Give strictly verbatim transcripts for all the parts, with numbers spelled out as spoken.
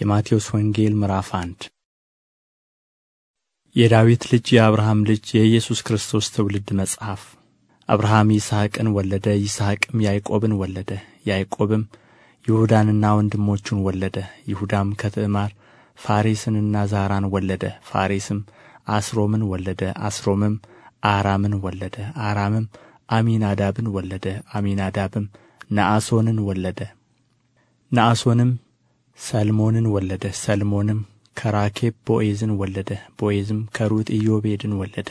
የማቴዎስ ወንጌል ምዕራፍ አንድ የዳዊት ልጅ የአብርሃም ልጅ የኢየሱስ ክርስቶስ ትውልድ መጽሐፍ። አብርሃም ይስሐቅን ወለደ፣ ይስሐቅም ያዕቆብን ወለደ፣ ያዕቆብም ይሁዳንና ወንድሞቹን ወለደ። ይሁዳም ከትዕማር ፋሬስንና ዛራን ወለደ። ፋሬስም አስሮምን ወለደ፣ አስሮምም አራምን ወለደ፣ አራምም አሚናዳብን ወለደ፣ አሚናዳብም ነአሶንን ወለደ። ነአሶንም ሰልሞንን ወለደ፣ ሰልሞንም ከራኬብ ቦዔዝን ወለደ፣ ቦዔዝም ከሩት ኢዮቤድን ወለደ፣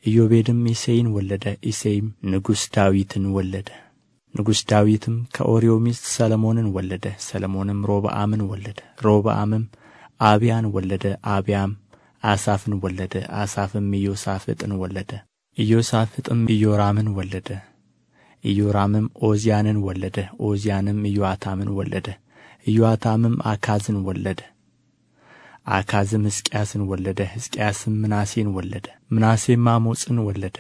ኢዮቤድም እሴይን ወለደ፣ እሴይም ንጉሥ ዳዊትን ወለደ። ንጉሥ ዳዊትም ከኦርዮ ሚስት ሰሎሞንን ወለደ፣ ሰሎሞንም ሮብዓምን ወለደ፣ ሮብዓምም አብያን ወለደ፣ አብያም አሳፍን ወለደ፣ አሳፍም ኢዮሳፍጥን ወለደ፣ ኢዮሳፍጥም ኢዮራምን ወለደ፣ ኢዮራምም ዖዝያንን ወለደ፣ ዖዝያንም ኢዮአታምን ወለደ፣ ኢዮአታምም አካዝን ወለደ፣ አካዝም ሕዝቅያስን ወለደ፣ ሕዝቅያስም ምናሴን ወለደ፣ ምናሴም አሞጽን ወለደ፣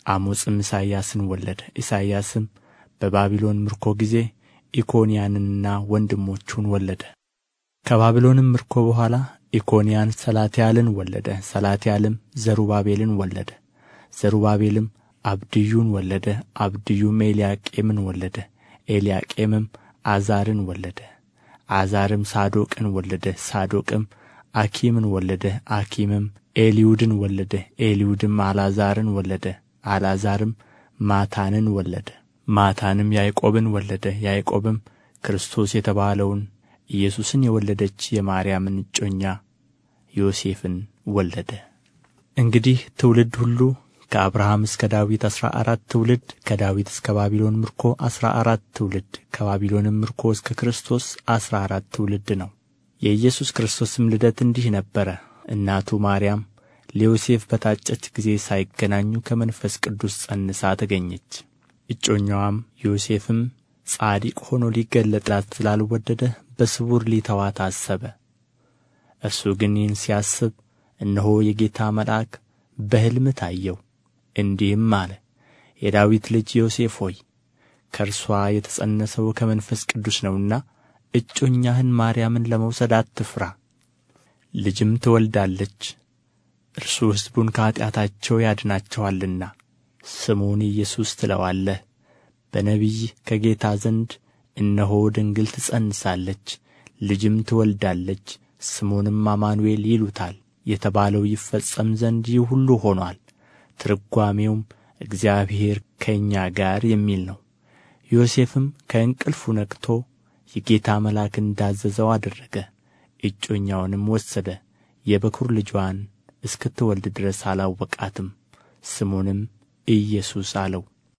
አሞጽም ኢሳይያስን ወለደ፣ ኢሳይያስም በባቢሎን ምርኮ ጊዜ ኢኮንያንንና ወንድሞቹን ወለደ። ከባቢሎንም ምርኮ በኋላ ኢኮንያን ሰላትያልን ወለደ፣ ሰላትያልም ዘሩባቤልን ወለደ፣ ዘሩባቤልም አብድዩን ወለደ፣ አብድዩም ኤልያቄምን ወለደ፣ ኤልያቄምም አዛርን ወለደ፣ አዛርም ሳዶቅን ወለደ፣ ሳዶቅም አኪምን ወለደ፣ አኪምም ኤልዩድን ወለደ፣ ኤልዩድም አልዓዛርን ወለደ፣ አልዓዛርም ማታንን ወለደ፣ ማታንም ያዕቆብን ወለደ፣ ያዕቆብም ክርስቶስ የተባለውን ኢየሱስን የወለደች የማርያምን እጮኛ ዮሴፍን ወለደ። እንግዲህ ትውልድ ሁሉ ከአብርሃም እስከ ዳዊት አሥራ አራት ትውልድ፣ ከዳዊት እስከ ባቢሎን ምርኮ አሥራ አራት ትውልድ፣ ከባቢሎንም ምርኮ እስከ ክርስቶስ አሥራ አራት ትውልድ ነው። የኢየሱስ ክርስቶስም ልደት እንዲህ ነበረ። እናቱ ማርያም ለዮሴፍ በታጨች ጊዜ ሳይገናኙ ከመንፈስ ቅዱስ ጸንሳ ተገኘች። እጮኛዋም ዮሴፍም ጻድቅ ሆኖ ሊገለጥላት ስላልወደደ በስውር ሊተዋት አሰበ። እርሱ ግን ይህን ሲያስብ እነሆ የጌታ መልአክ በሕልም ታየው፣ እንዲህም አለ፣ የዳዊት ልጅ ዮሴፍ ሆይ ከእርሷ የተጸነሰው ከመንፈስ ቅዱስ ነውና እጮኛህን ማርያምን ለመውሰድ አትፍራ። ልጅም ትወልዳለች፣ እርሱ ሕዝቡን ከኃጢአታቸው ያድናቸዋልና ስሙን ኢየሱስ ትለዋለህ። በነቢይ ከጌታ ዘንድ እነሆ ድንግል ትጸንሳለች፣ ልጅም ትወልዳለች፣ ስሙንም አማኑኤል ይሉታል የተባለው ይፈጸም ዘንድ ይህ ሁሉ ሆኖአል። ትርጓሜውም እግዚአብሔር ከእኛ ጋር የሚል ነው። ዮሴፍም ከእንቅልፉ ነቅቶ የጌታ መልአክ እንዳዘዘው አደረገ። እጮኛውንም ወሰደ፣ የበኵር ልጅዋን እስክትወልድ ድረስ አላወቃትም። ስሙንም ኢየሱስ አለው።